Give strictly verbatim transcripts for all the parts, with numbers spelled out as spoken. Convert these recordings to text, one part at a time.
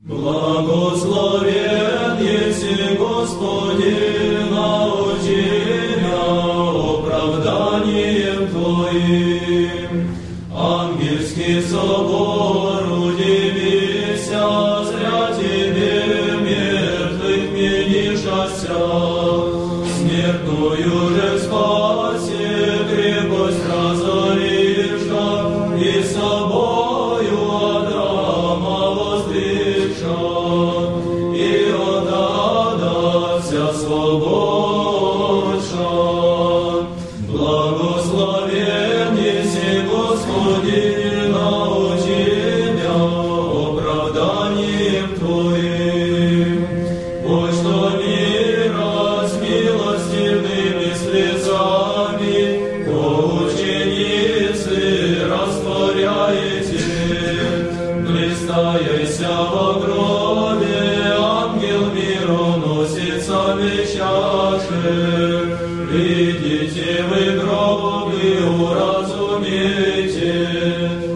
Благословен еси, Господи, научи меня оправданием Твоим. Ангельский собор, удивися, зря Тебе мертвых менишася. Смертную же спаси, крепость разоривша, и собою Адрама воздвигша, и от ада вся свободша. Благословен еси, Господи, научи меня оправданием Твоим. Пусть что мира с милостивными слезами по ученицы растворяете. Блистаяся во гробе, ангел мироносицами чаши. Видите вы гробы, уразумейте,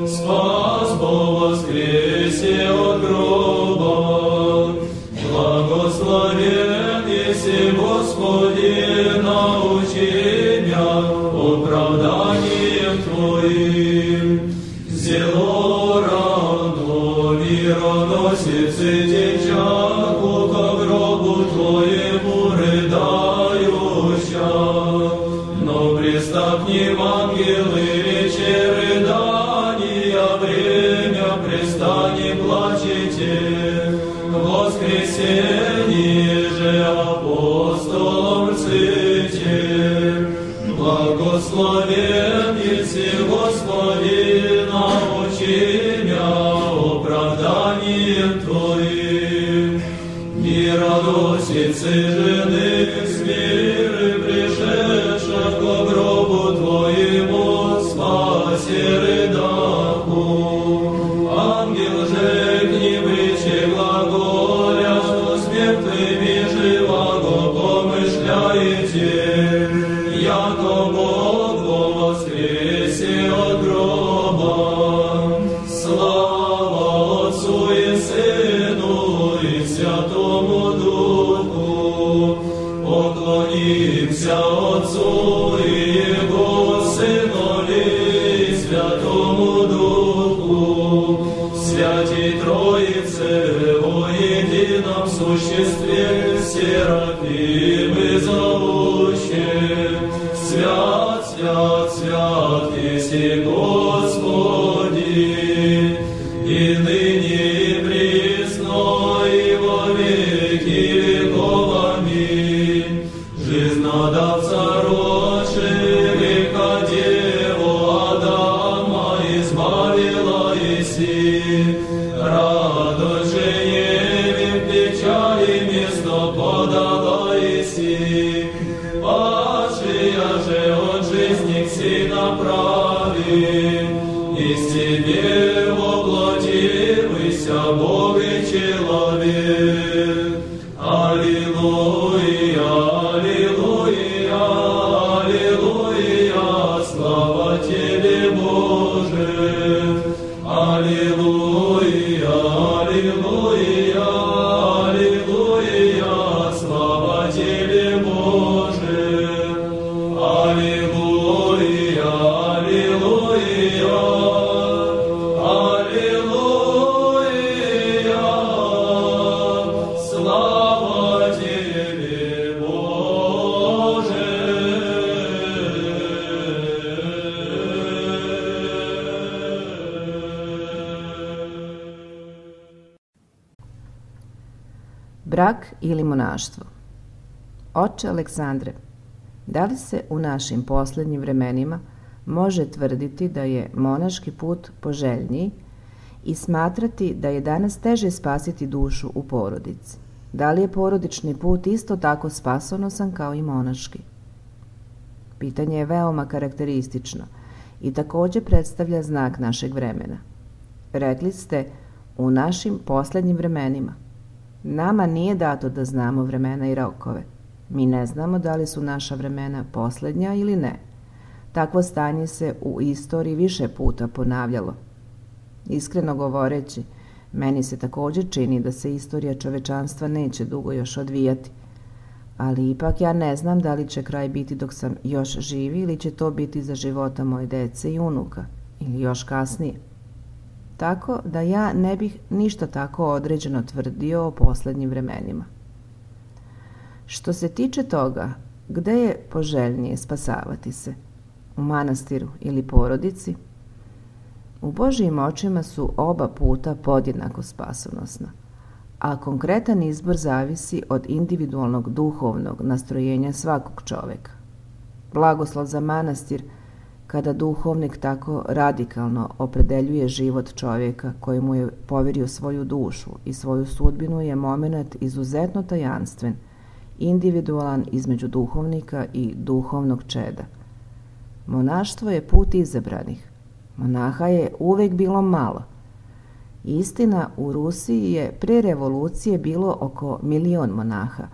спас по воскресе от гроба. Благословен еси, Господи, научи меня оправданием Твоим. Зело рано мироносицы течат ко гробу Твоему рыдающа. Но приступнем ангелы речи рыдания, время пристани плачете. Воскресенье же апостолом рците. Благословен еси, Господи, научи меня оправданием Твоим. Мироносицы жены с миры пришедших ко гробу Твоему, спаси рыдаку. Ангел же к ним речи глаголя, что с мертвыми живаго помышляете, яко Бог во воскресе от гроба. Слава Отцу и Сыну и Святому Духу. Поклонимся Отцу и Его Сынові и Святому Духу, Святій Троице во едином существе, серафимы зовущие. Свят, свят, свят еси, Господи, и ныне и присно и во веки веков. Аминь. Жизнодавца родши, греха деву Адама избавила еси. Радость же Еве в печали место подала еси. Падшая же от жизни к си направи, из Тебе воплотився Бог и человек. Аллилуйя, аллилуйя, аллилуйя, слава Тебе, Боже. Аллилуйя, аллилуйя, аллилуйя, слава Тебе, Боже. Аллилуйя, аллилуйя, аллилуйя, слава Тебе, Боже. Brak ili monaštvo. Oče Aleksandre, da li se u našim poslednjim vremenima može tvrditi da je monaški put poželjniji i smatrati da je danas teže spasiti dušu u porodici? Da li je porodični put isto tako spasonosan kao i monaški? Pitanje je veoma karakteristično i takođe predstavlja znak našeg vremena. Rekli ste u našim poslednjim vremenima. Nama nije dato da znamo vremena i rokove. Mi ne znamo da li su naša vremena poslednja ili ne. Takvo stanje se u istoriji više puta ponavljalo. Iskreno govoreći, Meni se također čini da se istorija čovečanstva neće dugo još odvijati, ali ipak ja ne znam da li će kraj biti dok sam još živi ili će to biti za života moje dece i unuka ili još kasnije. Tako da ja ne bih ništa tako određeno tvrdio o posljednjim vremenima. Što se tiče toga, gde je poželjnije spasavati se? U manastiru ili porodici? U Božjim očima su oba puta podjednako spasonosna, a konkretan izbor zavisi od individualnog duhovnog nastrojenja svakog čoveka. Blagoslov za manastir, kada duhovnik tako radikalno opredeljuje život čovjeka koji mu je povjerio svoju dušu i svoju sudbinu, je moment izuzetno tajanstven, individualan između duhovnika i duhovnog čeda. Monaštvo je put izabranih. Monaha je uvijek bilo malo. Istina, u Rusiji je prije revolucije bilo oko milion monaha,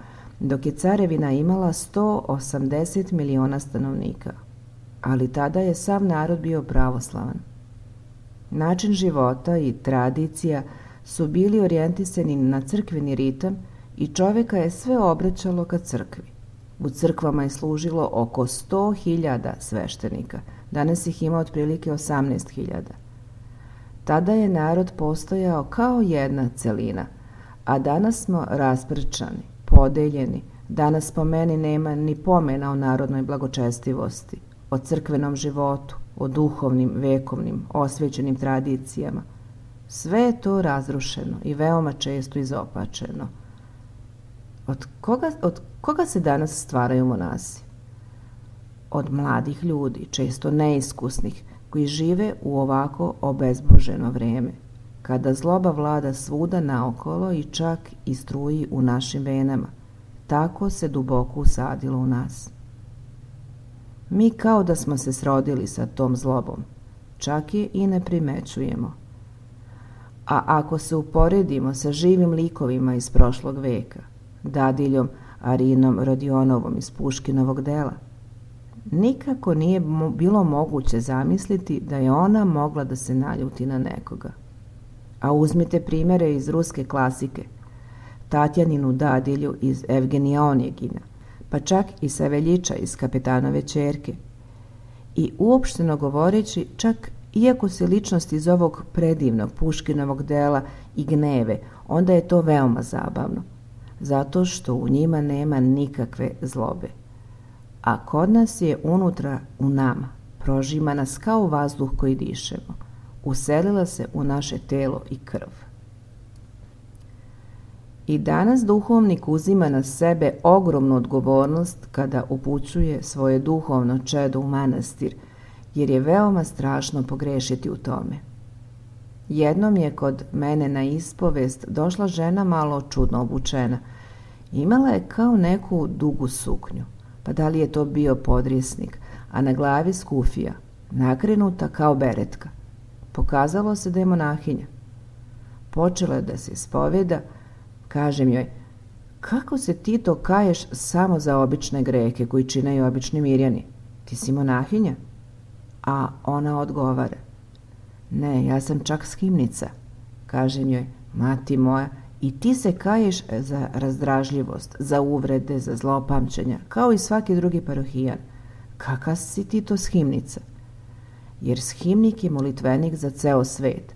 dok je carevina imala sto osamdeset miliona stanovnika. Ali tada je sav narod bio pravoslavan. Način života i tradicija su bili orijentisani na crkveni ritam i čovjeka je sve obraćalo ka crkvi. U crkvama je služilo oko sto hiljada sveštenika, danas ih ima otprilike osamnaest hiljada. Tada je narod postojao kao jedna celina, a danas smo rasprčani, podeljeni. Danas po meni nema ni pomena o narodnoj blagočestivosti, o crkvenom životu, o duhovnim, vekovnim, osvjećenim tradicijama. Sve je to razrušeno i veoma često izopačeno. Od koga, od koga se danas stvaraju monasi? Od mladih ljudi, često neiskusnih, koji žive u ovako obezboženo vrijeme, kada zloba vlada svuda naokolo i čak i struji u našim venama. Tako se duboko usadilo u nas. Mi kao da smo se srodili sa tom zlobom, čak je i ne primećujemo. A ako se uporedimo sa živim likovima iz prošlog veka, Dadiljom Arinom Rodionovom iz Puškinovog dela, nikako nije bilo moguće zamisliti da je ona mogla da se naljuti na nekoga. A uzmite primjere iz ruske klasike, Tatjaninu Dadilju iz Evgenija Onjegina, pa čak i Saveljića iz Kapetanove ćerke. I uopšteno govoreći, čak iako se ličnost iz ovog predivnog Puškinovog dela i gneve, onda je to veoma zabavno, zato što u njima nema nikakve zlobe. A kod nas je unutra u nama, prožima nas kao vazduh koji dišemo, uselila se u naše telo i krv. I danas duhovnik uzima na sebe ogromnu odgovornost kada upućuje svoje duhovno čedo u manastir, jer je veoma strašno pogrešiti u tome. Jednom je kod mene na ispovest došla žena malo čudno obučena. Imala je kao neku dugu suknju, pa da li je to bio podrijesnik, a na glavi skufija, nakrenuta kao beretka. Pokazalo se da je monahinja. Počela je da se ispoveda. Kažem joj, kako se ti to kaješ samo za obične greke koji činaju obični mirjani? Ti si monahinja? A ona odgovara, ne, ja sam čak skimnica. Kažem joj, mati moja, i ti se kaješ za razdražljivost, za uvrede, za zlopamćenja, kao i svaki drugi parohijan. Kaka si ti to shimnica? Jer shimnik je molitvenik za ceo svet,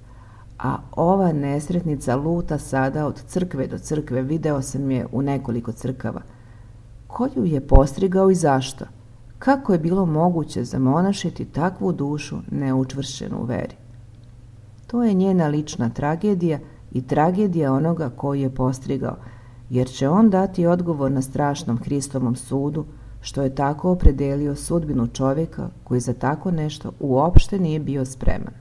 a ova nesretnica luta sada od crkve do crkve, video sam je u nekoliko crkava. Ko ju je postrigao i zašto? Kako je bilo moguće zamonašiti takvu dušu neučvršćenu u veri? To je njena lična tragedija i tragedija onoga koji je postrigao, jer će on dati odgovor na strašnom Hristovom sudu, što je tako opredelio sudbinu čovjeka koji za tako nešto uopšte nije bio spreman.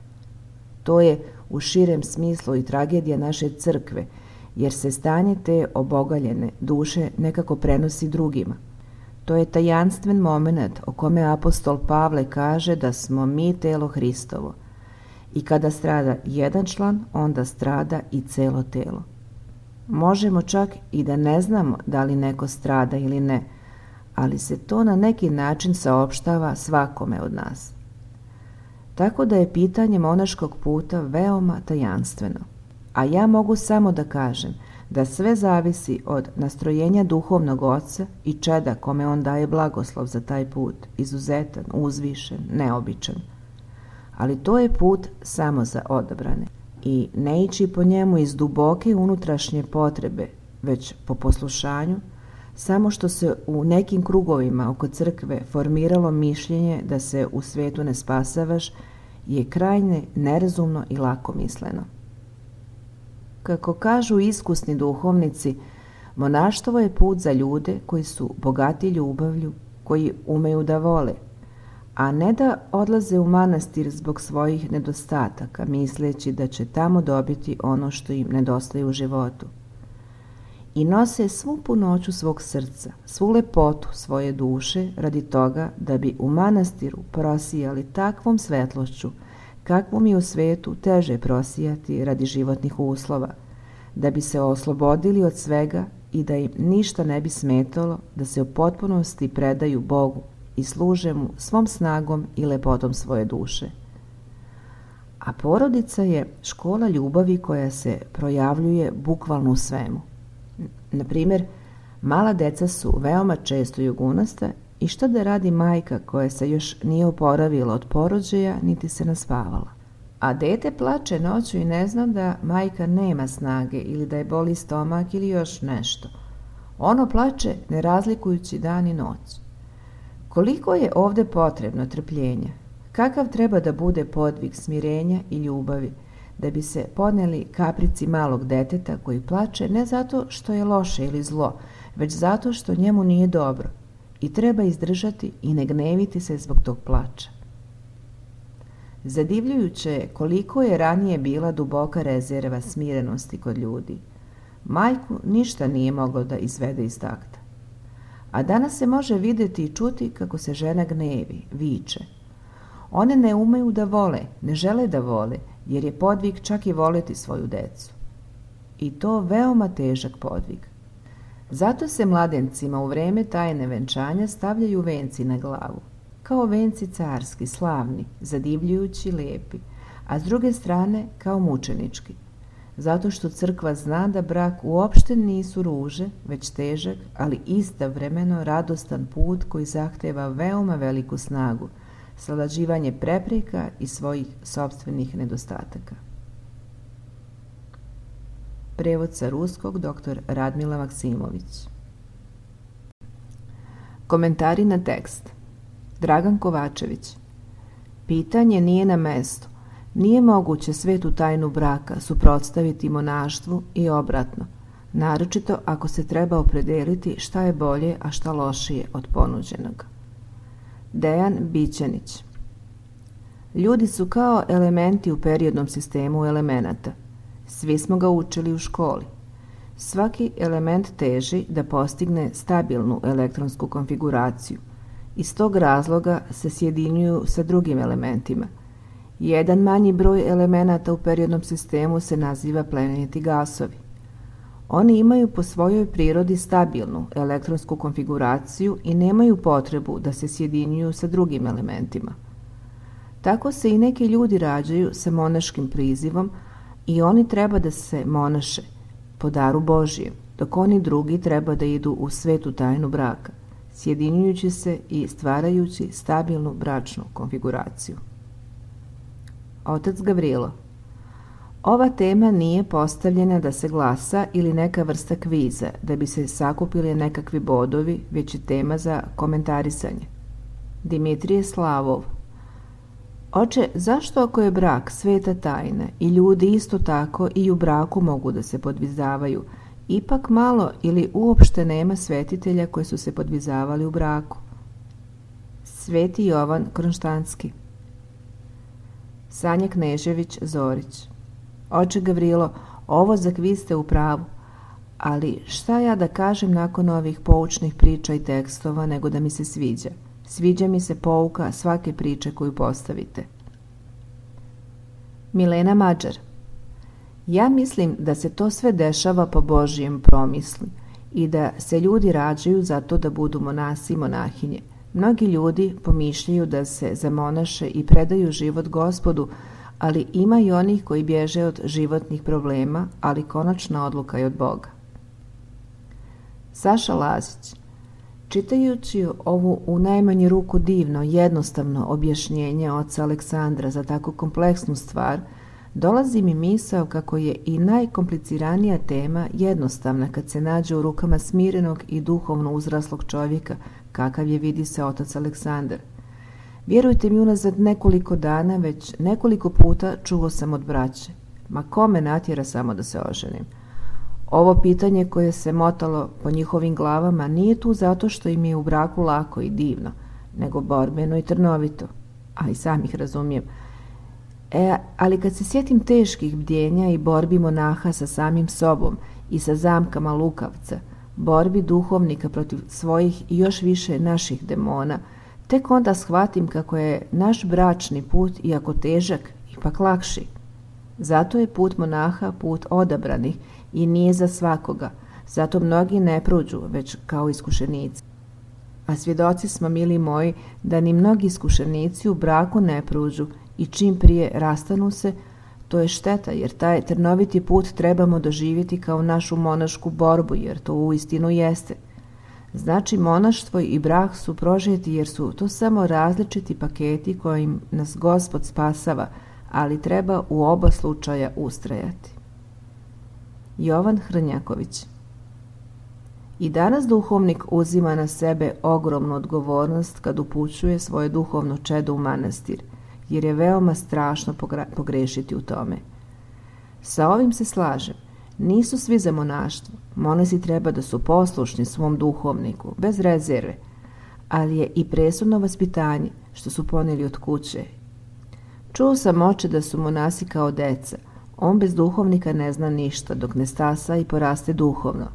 To je u širem smislu i tragedija naše crkve, jer se stanje te obogaljene duše nekako prenosi drugima. To je tajanstven moment o kome apostol Pavle kaže da smo mi telo Hristovo. I kada strada jedan član, onda strada i celo telo. Možemo čak i da ne znamo da li neko strada ili ne, ali se to na neki način saopštava svakome od nas. Tako da je pitanje monaškog puta veoma tajanstveno. a ja mogu samo da kažem da sve zavisi od nastrojenja duhovnog oca i čeda kome on daje blagoslov za taj put, izuzetan, uzvišen, neobičan. Ali to je put samo za odabrane i ne ići po njemu iz duboke unutrašnje potrebe, već po poslušanju, samo što se u nekim krugovima oko crkve formiralo mišljenje da se u svetu ne spasavaš, je krajnje nerazumno i lakomisleno. Kako kažu iskusni duhovnici, monaštvo je put za ljude koji su bogati ljubavlju, koji umeju da vole, a ne da odlaze u manastir zbog svojih nedostataka, misleći da će tamo dobiti ono što im nedostaje u životu. I nose svu punoću svog srca, svu lepotu svoje duše radi toga da bi u manastiru prosijali takvom svetlošću kakvom je u svetu teže prosijati radi životnih uslova, da bi se oslobodili od svega i da im ništa ne bi smetalo da se u potpunosti predaju Bogu i služe mu svom snagom i lepotom svoje duše. A porodica je škola ljubavi koja se projavljuje bukvalno u svemu. Na primjer, mala deca su veoma često jugunasta i šta da radi majka koja se još nije oporavila od porođaja niti se naspavala. A dete plače noću i ne zna da majka nema snage ili da je boli stomak ili još nešto. Ono plače ne razlikujući dan i noć. Koliko je ovde potrebno trpljenja? Kakav treba da bude podvig smirenja i ljubavi da bi se podneli kaprici malog deteta koji plače ne zato što je loše ili zlo, već zato što njemu nije dobro i treba izdržati i ne gneviti se zbog tog plača. Zadivljujuće je koliko je ranije bila duboka rezerva smirenosti kod ljudi. Majku ništa nije moglo da izvede iz takta. A danas se može videti i čuti kako se žena gnevi, viče. One ne umeju da vole, ne žele da vole, jer je podvig čak i voleti svoju decu. I to veoma težak podvig. Zato se mladencima u vreme tajne venčanja stavljaju venci na glavu, kao venci carski, slavni, zadivljujući, lepi, a s druge strane kao mučenički. Zato što crkva zna da brak uopšte nisu ruže, već težak, ali istovremeno radostan put koji zahteva veoma veliku snagu, savlađivanje prepreka i svojih sopstvenih nedostataka. Prevod sa ruskog dr. Radmila Maksimović. Komentari na tekst. Dragan Kovačević. Pitanje nije na mestu. Nije moguće svetu tajnu braka suprotstaviti monaštvu i obratno, naročito ako se treba opredeliti šta je bolje, a šta lošije od ponuđenog. Dejan Bićanić. Ljudi su kao elementi u periodnom sistemu elemenata. Svi smo ga učili u školi. Svaki element teži da postigne stabilnu elektronsku konfiguraciju. Iz tog razloga se sjedinjuju sa drugim elementima. Jedan manji broj elemenata u periodnom sistemu se naziva plemeniti gasovi. Oni imaju po svojoj prirodi stabilnu elektronsku konfiguraciju i nemaju potrebu da se sjedinjuju sa drugim elementima. Tako se i neki ljudi rađaju sa monaškim prizivom i oni treba da se monaše po daru Božijem, dok oni drugi treba da idu u svetu tajnu braka, sjedinjujući se i stvarajući stabilnu bračnu konfiguraciju. Otac Gavrilo. Ova tema nije postavljena da se glasa ili neka vrsta kviza, da bi se sakupili nekakvi bodovi, već je tema za komentarisanje. Dimitrije Slavov. Oče, zašto ako je brak sveta tajna i ljudi isto tako i u braku mogu da se podvizavaju, ipak malo ili uopšte nema svetitelja koji su se podvizavali u braku? Sveti Jovan Kronštanski. Sanja Knežević Zorić. Oče Gavrilo, ovo za kviz ste u pravu, ali šta ja da kažem nakon ovih poučnih priča i tekstova nego da mi se sviđa? Sviđa mi se pouka svake priče koju postavite. Milena Mađar. Ja mislim da se to sve dešava po Božijem promislu i da se ljudi rađaju zato da budu monasi i monahinje. Mnogi ljudi pomišljaju da se zamonaše i predaju život Gospodu, ali ima i onih koji bježe od životnih problema, ali konačna odluka je od Boga. Saša Lazić. Čitajući ovu u najmanju ruku divno, jednostavno objašnjenje oca Aleksandra za tako kompleksnu stvar, dolazi mi misao kako je i najkompliciranija tema jednostavna kad se nađe u rukama smirenog i duhovno uzraslog čovjeka, kakav je vidi se otac Aleksandar. Vjerujte mi, unazad nekoliko dana već nekoliko puta čuo sam od braće: ma kome natjera samo da se oženim? Ovo pitanje koje se motalo po njihovim glavama nije tu zato što im je u braku lako i divno, nego borbeno i trnovito, a i sam ih razumijem. E, ali kad se sjetim teških bdjenja i borbi monaha sa samim sobom i sa zamkama lukavca, borbi duhovnika protiv svojih i još više naših demona, tek onda shvatim kako je naš bračni put, iako težak, ipak lakši. Zato je put monaha put odabranih i nije za svakoga, zato mnogi ne prođu, već kao iskušenici. A svjedoci smo, mili moji, da ni mnogi iskušenici u braku ne prođu i čim prije rastanu se, to je šteta, jer taj trnoviti put trebamo doživjeti kao našu monašku borbu, jer to uistinu jeste. Znači, monaštvo i brak su prožeti jer su to samo različiti paketi kojim nas Gospod spasava, ali treba u oba slučaja ustrajati. Jovan Hrnjaković. I danas duhovnik uzima na sebe ogromnu odgovornost kad upućuje svoje duhovno čedo u manastir, jer je veoma strašno pogrešiti u tome. Sa ovim se slažem. Nisu svi za monaštvo. Monasi treba da su poslušni svom duhovniku, bez rezerve, ali je i presudno vaspitanje što su ponijeli od kuće. Čuo sam oče da su monasi kao deca. On bez duhovnika ne zna ništa dok ne stasa i poraste duhovno.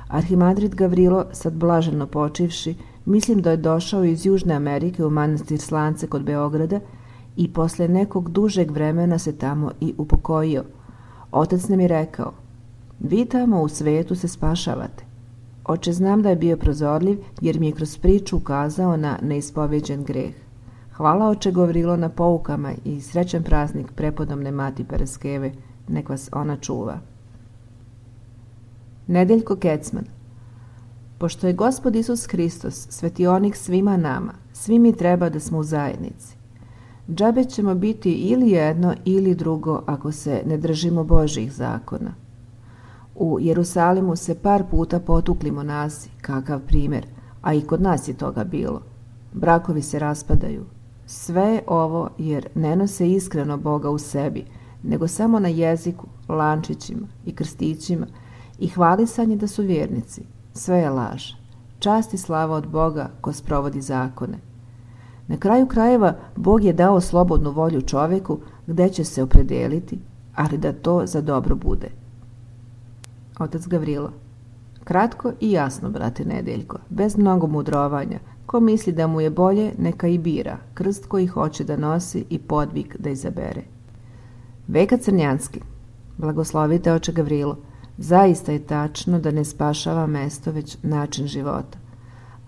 Arhimandrit Gavrilo, sad blaženo počivši, mislim da je došao iz Južne Amerike u manastir Slance kod Beograda i posle nekog dužeg vremena se tamo i upokojio. Otac nam je rekao: vi tamo u svetu se spašavate. Oče, znam da je bio prozorljiv jer mi je kroz priču ukazao na neispovjeđen greh. Hvala oče Gavrilo na poukama i srećan praznik prepodobne mati Paraskeve, nek vas ona čuva. Nedeljko Kecman. Pošto je Gospod Isus Hristos svetionik svima nama, svi mi treba da smo u zajednici. Džabe ćemo biti ili jedno ili drugo ako se ne držimo Božjih zakona. U Jerusalimu se par puta potukli monasi, kakav primjer, a i kod nas je toga bilo. Brakovi se raspadaju. Sve ovo jer ne nose iskreno Boga u sebi, nego samo na jeziku, lančićima i krstićima i hvalisanje da su vjernici. Sve je laž. Čast i slava od Boga ko sprovodi zakone. Na kraju krajeva Bog je dao slobodnu volju čovjeku gdje će se opredijeliti, ali da to za dobro bude. Otac Gavrilo. Kratko i jasno, brate Nedeljko, bez mnogo mudrovanja. Ko misli da mu je bolje, neka i bira krst koji hoće da nosi i podvig da izabere. Veka Crnjanski. Blagoslovite oče Gavrilo. Zaista je tačno da ne spašava mesto, već način života.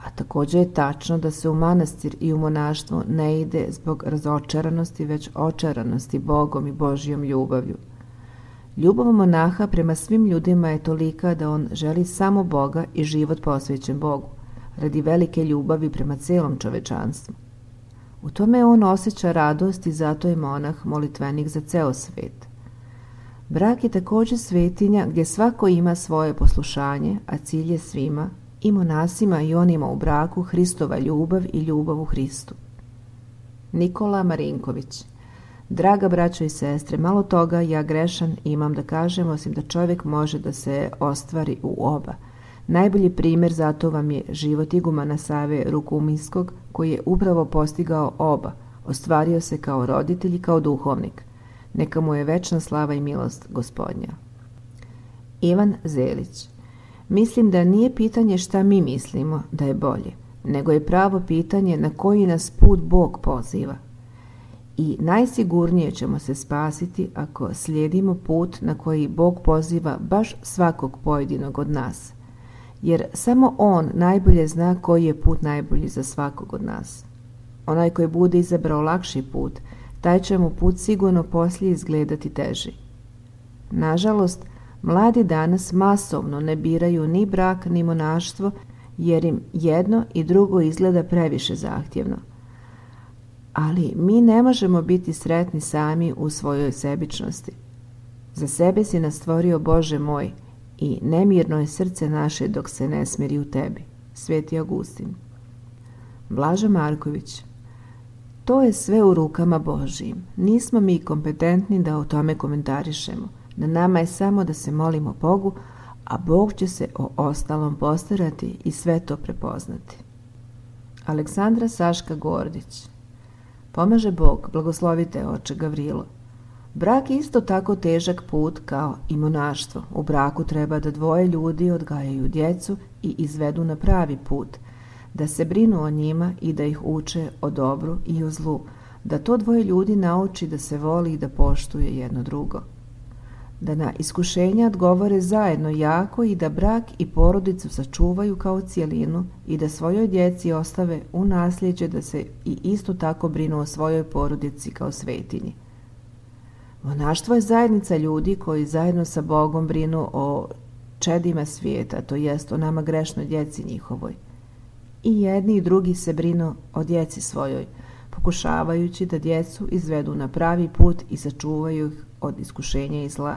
A također je tačno da se u manastir i u monaštvo ne ide zbog razočaranosti, već očaranosti Bogom i Božjom ljubavlju. Ljubav monaha prema svim ljudima je tolika da on želi samo Boga i život posvećen Bogu, radi velike ljubavi prema celom čovečanstvu. U tome on osjeća radost i zato je monah molitvenik za ceo svet. Brak je također svetinja gdje svako ima svoje poslušanje, a cilj je svima, i monasima i onima u braku, Hristova ljubav i ljubav u Hristu. Nikola Marinković. Draga braćo i sestre, malo toga ja grešan imam da kažem, osim da čovjek može da se ostvari u oba. Najbolji primjer zato vam je život igumana Save Rukuminskog, koji je upravo postigao oba, ostvario se kao roditelj i kao duhovnik. Neka mu je večna slava i milost Gospodnja. Ivan Zelić. Mislim da nije pitanje šta mi mislimo da je bolje, nego je pravo pitanje na koji nas put Bog poziva. I najsigurnije ćemo se spasiti ako slijedimo put na koji Bog poziva baš svakog pojedinog od nas, jer samo On najbolje zna koji je put najbolji za svakog od nas. Onaj koji bude izabrao lakši put, taj će mu put sigurno poslije izgledati teži. Nažalost, mladi danas masovno ne biraju ni brak ni monaštvo jer im jedno i drugo izgleda previše zahtjevno. Ali mi ne možemo biti sretni sami u svojoj sebičnosti. Za sebe si nas stvorio, Bože moj, i nemirno je srce naše dok se ne smiri u tebi. Sveti Augustin. Blažo Marković. To je sve u rukama Božijim. Nismo mi kompetentni da o tome komentarišemo. Na nama je samo da se molimo Bogu, a Bog će se o ostalom postarati i sve to prepoznati. Aleksandra Saška Gordić. Pomaže Bog, blagoslovite oče Gavrilo. Brak je isto tako težak put kao i monaštvo. U braku treba da dvoje ljudi odgajaju djecu i izvedu na pravi put, da se brinu o njima i da ih uče o dobru i o zlu, da to dvoje ljudi nauči da se voli i da poštuje jedno drugo, da na iskušenja odgovore zajedno jako i da brak i porodicu sačuvaju kao cijelinu i da svojoj djeci ostave u nasljeđe da se i isto tako brinu o svojoj porodici kao svetinji. Monaštvo je zajednica ljudi koji zajedno sa Bogom brinu o čedima svijeta, to jest o nama grešnoj djeci njihovoj. I jedni i drugi se brinu o djeci svojoj, pokušavajući da djecu izvedu na pravi put i sačuvaju ih od iskušenja i zla.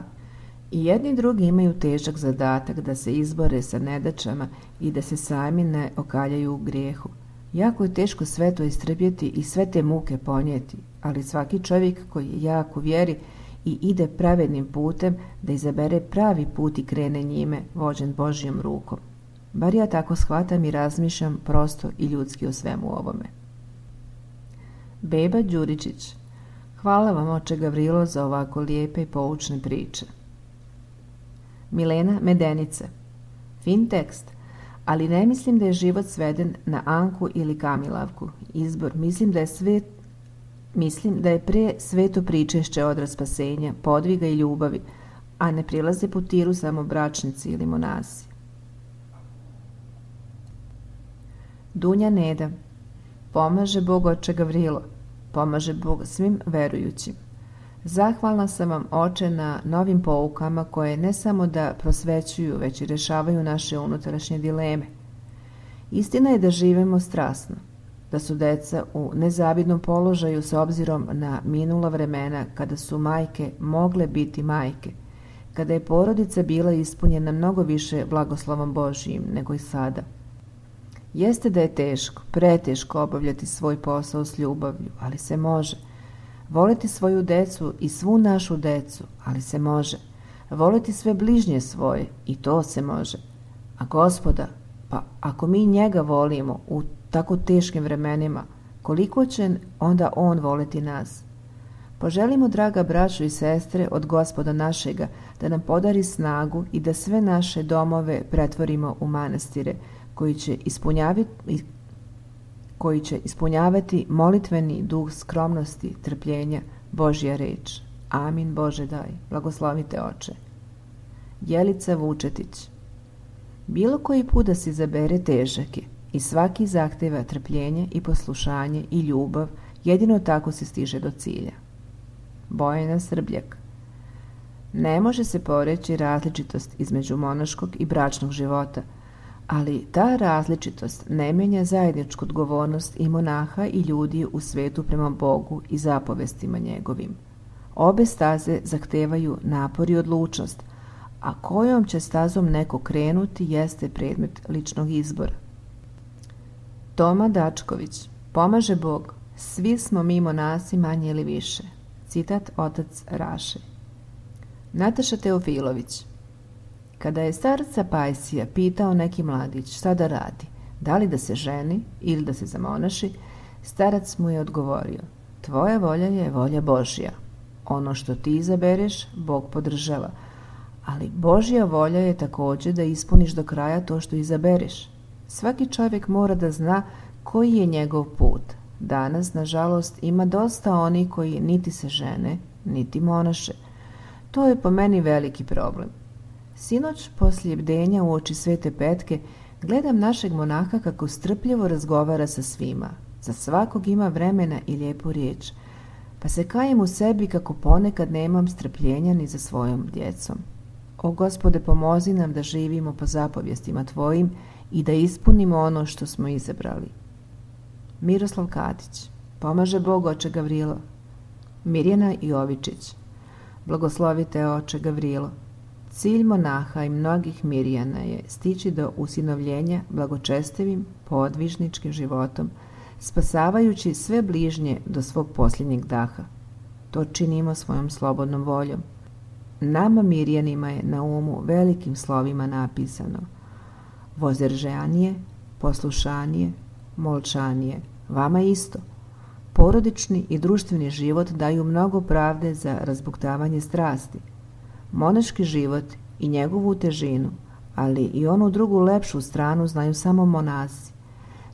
I jedni i drugi imaju težak zadatak da se izbore sa nedaćama i da se sami ne okaljaju u grijehu. Jako je teško sve to istrpjeti i sve te muke ponijeti, ali svaki čovjek koji je jak u vjeri i ide pravednim putem da izabere pravi put i krene njime, vođen Božjom rukom. Bar ja tako shvatam i razmišljam prosto i ljudski o svemu ovome. Beba Đuričić. Hvala vam, oče Gavrilo, za ovako lijepe i poučne priče. Milena Medenica. Fin tekst, ali ne mislim da je život sveden na Anku ili Kamilavku. Izbor, mislim da je sve, mislim da je pre sveto pričešće odraz spasenja, podviga i ljubavi, a ne prilaze putiru samo bračnici ili monasi. Dunja Neda. Pomaže Bog, oče Gavrilo, pomaže Bog svim verujućim. Zahvalna sam vam, oče, na novim poukama koje ne samo da prosvećuju, već i rješavaju naše unutrašnje dileme. Istina je da živimo strasno, da su deca u nezavidnom položaju s obzirom na minula vremena kada su majke mogle biti majke, kada je porodica bila ispunjena mnogo više blagoslovom Božijim nego i sada. Jeste da je teško, preteško obavljati svoj posao s ljubavlju, ali se može. Voliti svoju decu i svu našu decu, ali se može. Voliti sve bližnje svoje, i to se može. A Gospoda, pa ako mi njega volimo u tako teškim vremenima, koliko će onda on voliti nas? Poželimo, draga braćo i sestre, od Gospoda našega da nam podari snagu i da sve naše domove pretvorimo u manastire, koji će ispunjavati, koji će ispunjavati molitveni duh skromnosti, trpljenja, Božja reč. Amin, Bože daj, blagoslovite oče. Jelica Vučetić. Bilo koji put da se izabere težak je i svaki zahteva trpljenje i poslušanje i ljubav, jedino tako se stiže do cilja. Bojana Srbljak. Ne može se poreći različitost između monaškog i bračnog života, ali ta različitost ne menja zajedničku odgovornost i monaha i ljudi u svetu prema Bogu i zapovestima njegovim. Obe staze zahtevaju napor i odlučnost, a kojom će stazom neko krenuti jeste predmet ličnog izbora. Toma Dačković. Pomaže Bog, svi smo mi monasi manje ili više. Citat otac Raše. Nataša Teofilović. Kada je starca Pajsija pitao neki mladić šta da radi, da li da se ženi ili da se zamonaši, starac mu je odgovorio: tvoja volja je volja Božja. Ono što ti izabereš, Bog podržava, ali Božja volja je također da ispuniš do kraja to što izabereš. Svaki čovjek mora da zna koji je njegov put. Danas, nažalost, ima dosta onih koji niti se žene, niti monaše. To je po meni veliki problem. Sinoć, poslije bdenja u oči Svete Petke, gledam našeg monaha kako strpljivo razgovara sa svima. Za svakog ima vremena i lijepu riječ. pa se kajem u sebi kako ponekad nemam strpljenja ni za svojom djecom. O Gospode, pomozi nam da živimo po zapovjestima Tvojim i da ispunimo ono što smo izabrali. Miroslav Katić. Pomaže Bog, oče Gavrilo. Mirjana Jovičić. Blagoslovite, oče Gavrilo. Cilj monaha i mnogih Mirjana je stići do usinovljenja blagočestivim, podvižničkim životom, spasavajući sve bližnje do svog posljednjeg daha. To činimo svojom slobodnom voljom. Nama Mirjanima je na umu velikim slovima napisano: vozdržanije, poslušanije, molčanije. Vama isto. Porodični i društveni život daju mnogo pravde za razbuktavanje strasti. Monaški život i njegovu težinu, ali i onu drugu lepšu stranu znaju samo monasi.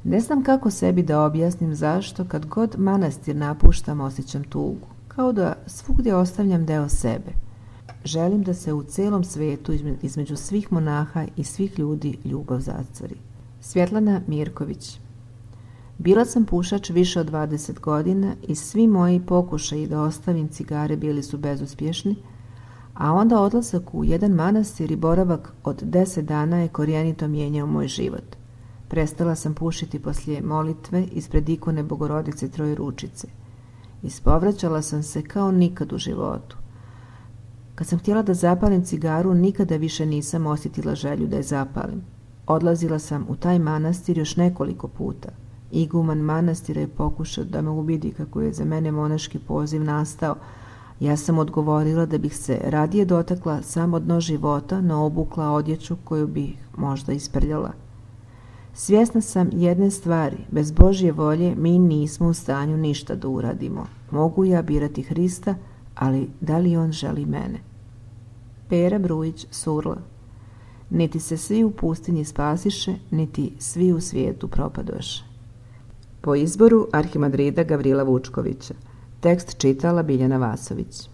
Ne znam kako sebi da objasnim zašto kad god manastir napuštam osjećam tugu, kao da svugdje ostavljam deo sebe. Želim da se u celom svetu između svih monaha i svih ljudi ljubav zacari. Svjetlana Mirković. Bila sam pušač više od dvadeset godina i svi moji pokušaji da ostavim cigare bili su bezuspješni, a onda odlazak u jedan manastir i boravak od deset dana je korijenito mijenjao moj život. Prestala sam pušiti poslije molitve ispred ikone Bogorodice Trojeručice. Ispovraćala sam se kao nikad u životu. Kad sam htjela da zapalim cigaru, nikada više nisam osjetila želju da je zapalim. Odlazila sam u taj manastir još nekoliko puta. Iguman manastira je pokušao da me ubedi kako je za mene monaški poziv nastao. Ja sam odgovorila da bih se radije dotakla samo dno života, no obukla odjeću koju bih možda isprljala. Svjesna sam jedne stvari, bez Božje volje mi nismo u stanju ništa da uradimo. Mogu ja birati Hrista, ali da li on želi mene? Pera Brujić, Surla. Niti se svi u pustinji spasiše, niti svi u svijetu propadoše. Po izboru arhimandrita Gavrila Vučkovića. Tekst čitala Biljana Vasović.